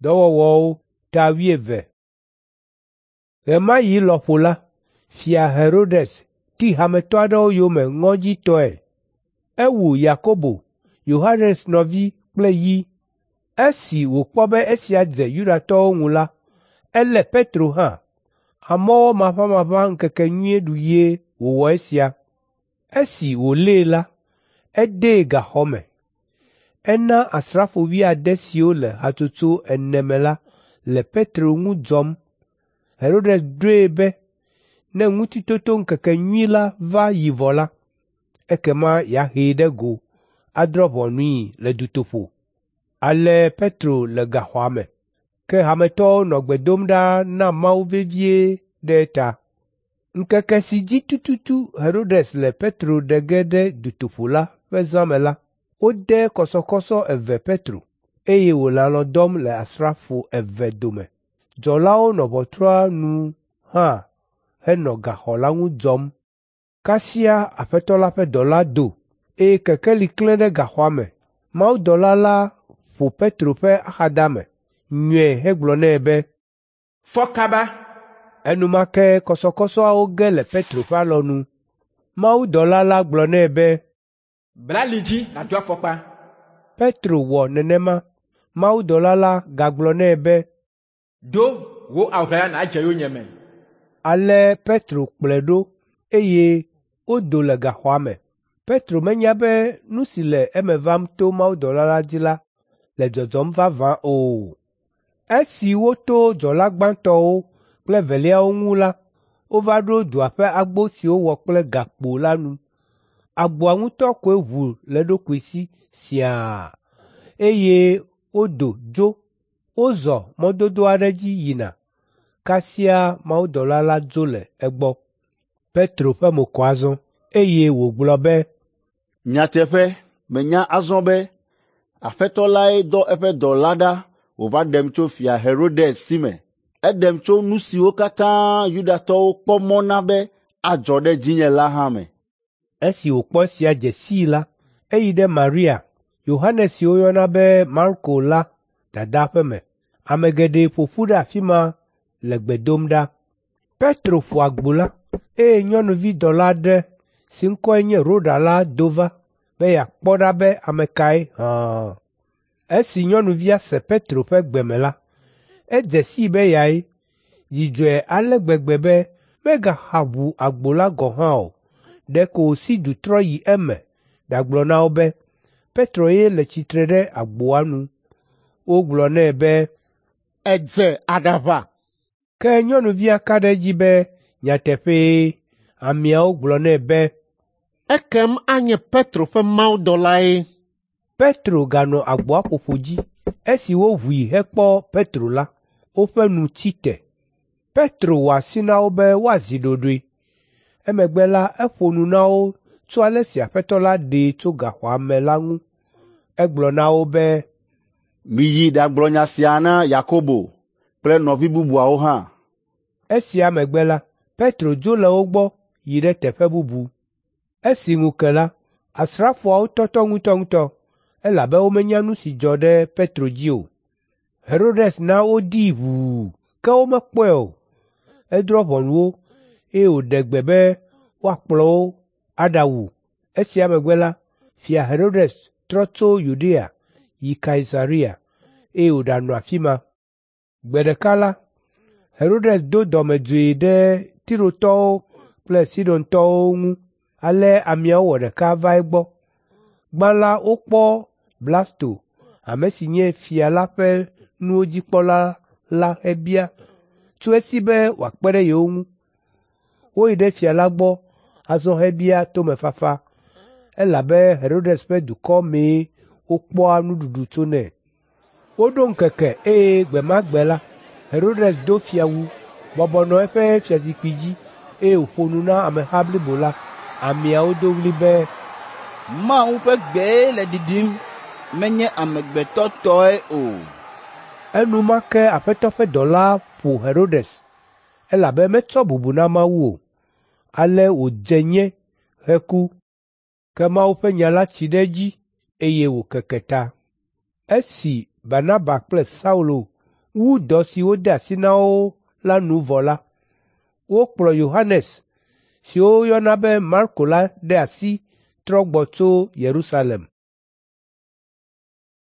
Dɔwɔwɔwo ta wuieve. Ɣemaɣi lɔƒo la, Fia Herodes ti hametɔ aɖewo yome ŋɔdzitɔe. Ewu Yakobo, Yohanes nɔvi kple yi. Esi wòkpɔ be esia dze Yudatɔwo ŋu la, elé Petro hã. Amɔwɔ maʋamaʋã ŋkekenyui ɖuɣie wòwɔ esia. Esi wòlée la, edee gaxɔ me. Ena asrafo wuiade siwo le hatsotso ene me la le Petro ŋu dzɔm. Herodes ɖoe be ne Ŋutitotoŋkekenyui la va yi vɔ la, ekema yeahee ɖe go adrɔ̃ ʋɔnui le dutoƒo. Ale Petro le gaxɔa me, ke hametɔwo nɔ gbe dom ɖa na Mawu vevie ɖe eta. Ŋkeke si dzi tututu Herodes le Petro ɖe ge ɖe dutoƒo la ƒe zã me la, wode kɔsɔkɔsɔ eve Petro, eye wòle alɔ̃ dɔm le asrafo eve dome. Dzɔlawo nɔ ʋɔtrua nu hã henɔ gaxɔ la ŋu dzɔm. Kasia Aƒetɔ la ƒe dɔla do, eye kekeli klẽ ɖe gaxɔa me. Mawudɔla la ƒo Petro ƒe axadame, nyɔe hegblɔ nɛ be, “Fɔ kaba!” Enumake kɔsɔkɔsɔawo ge le Petro ƒe alɔnu. Mawudɔla la gblɔ nɛ be, “Bla ali dzi nàdo afɔkpa.” Petro wɔ nenema. Mawudɔla la gagblɔ nɛ be, “Do wò awu ʋlaya nàdze yonyeme.” Ale Petro kplɔe ɖo, eye wodo le gaxɔa me. Petro menya be nu si le eme vam to mawudɔla la dzi la le dzɔdzɔm vavã o. Esi woto dzɔla gbãtɔwo kple eveliawo ŋu la, wova ɖo dua ƒe agbo si wowɔ kple gakpo la nu. Agboa ŋutɔ koe ʋu le eɖokui si siaa, eye wodo dzo. Wozɔ mɔdodo aɖe dzi yina. Kasia mawudɔla la dzo le egbɔ. Petro ƒe mo kɔ azɔ, eye wògblɔ be, “Nyateƒe, menya azɔ be Aƒetɔ lae dɔ eƒe dɔla ɖa wòva ɖem tso Fia Herodes si me. Eɖem tso nu siwo katã Yudatɔwo kpɔ mɔ na be adzɔ ɖe dzinye la hã me.” Esi wòkpɔ esia dze sii la, eyi ɖe Maria, Yohanes si woyɔna be Marko la dada ƒe me. Ame geɖe ƒo ƒu ɖe afi ma le gbe dom ɖa. Petro ƒo agbo la, eye nyɔnuvi dɔla aɖe si ŋkɔe nye Roda la do va be yeakpɔ ɖa be ame kae hã. Esi nyɔnuvia se Petro ƒe gbe me la, edze sii be eyae. Dzi dzɔe ale gbegbe be megaxa ʋu agbo la gɔ̃ hã o. Ɖeko wòsi du trɔ yi eme ɖagblɔ na wo be Petro ye le tsitre ɖe agboa nu. Wogblɔ nɛ be, “Èdze aɖaʋa!” Ke nyɔnuvia ka ɖe edzi be nyateƒee. Ameawo gblɔ nɛ be, “Ekem anye Petro ƒe mawudɔlae.” Petro ganɔ agboa ƒoƒo dzi. Esi woʋui hekpɔ Petro la, woƒe nu tsi te. Petro wɔ asi na wo be woazi ɖoɖoe. Emegbe la, eƒo nu na wo tso ale si Aƒetɔ la ɖee tso gaxɔa me la ŋu. Egblɔ na wo be, “Miyi ɖagblɔ nya sia na Yakobo kple nɔvi bubuawo hã.” Esia megbe la, Petro dzo le wo gbɔ yi ɖe teƒe bubu. Esi ŋu ke la, asrafoawo tɔtɔ ŋutɔŋutɔ, elabe womenya nu si dzɔ ɖe Petro dzi o. Herodes na wodii ʋuu, ke womekpɔe o. Edrɔ̃ ʋɔnu wo, eye wòɖe gbe be woakplɔ wo aɖawu. Esia megbe la, Fia Herodes trɔ tso Yudea yi Kaisarea, eye wòɖanɔ afi ma. Gbe ɖeka la, Herodes do dɔmedzoe ɖe Tirotɔwo kple Sidontɔwo ŋu. Ale ameawo wɔ ɖeka va egbɔ. Gbã la wokpɔ Blasto, ame si nye fia la ƒe nuwo dzikpɔla la hebia tso esi be wòakpe ɖe yewo ŋu. Woyi ɖe fia la gbɔ azɔ hebia tomefafa, elabe Herodes ƒe dukɔ mee wokpɔa nuɖuɖu tsonɛ. Woɖo ŋkeke eye gbe ma gbe la, Herodes do fiawu, bɔbɔ nɔ eƒe fiazikpui dzi, eye wòƒo nu na ameha blibo la. Ameawo do ɣli be, “Mawu ƒe gbee le ɖiɖim, menye amegbetɔ tɔe o.” Enumake Aƒetɔ ƒe dɔla ƒo Herodes, elabe metsɔ bubu na Mawu o. Ale wòdze nye heku. Ke Mawu ƒe nya la tsi ɖe edzi, eye wòkeke ta. Esi Barnaba kple Saulo wu dɔ si wode asi na wo la nu vɔ la, wokplɔ Yohanes si woyɔna be Marko la ɖe asi trɔ gbɔ tso Yerusalem.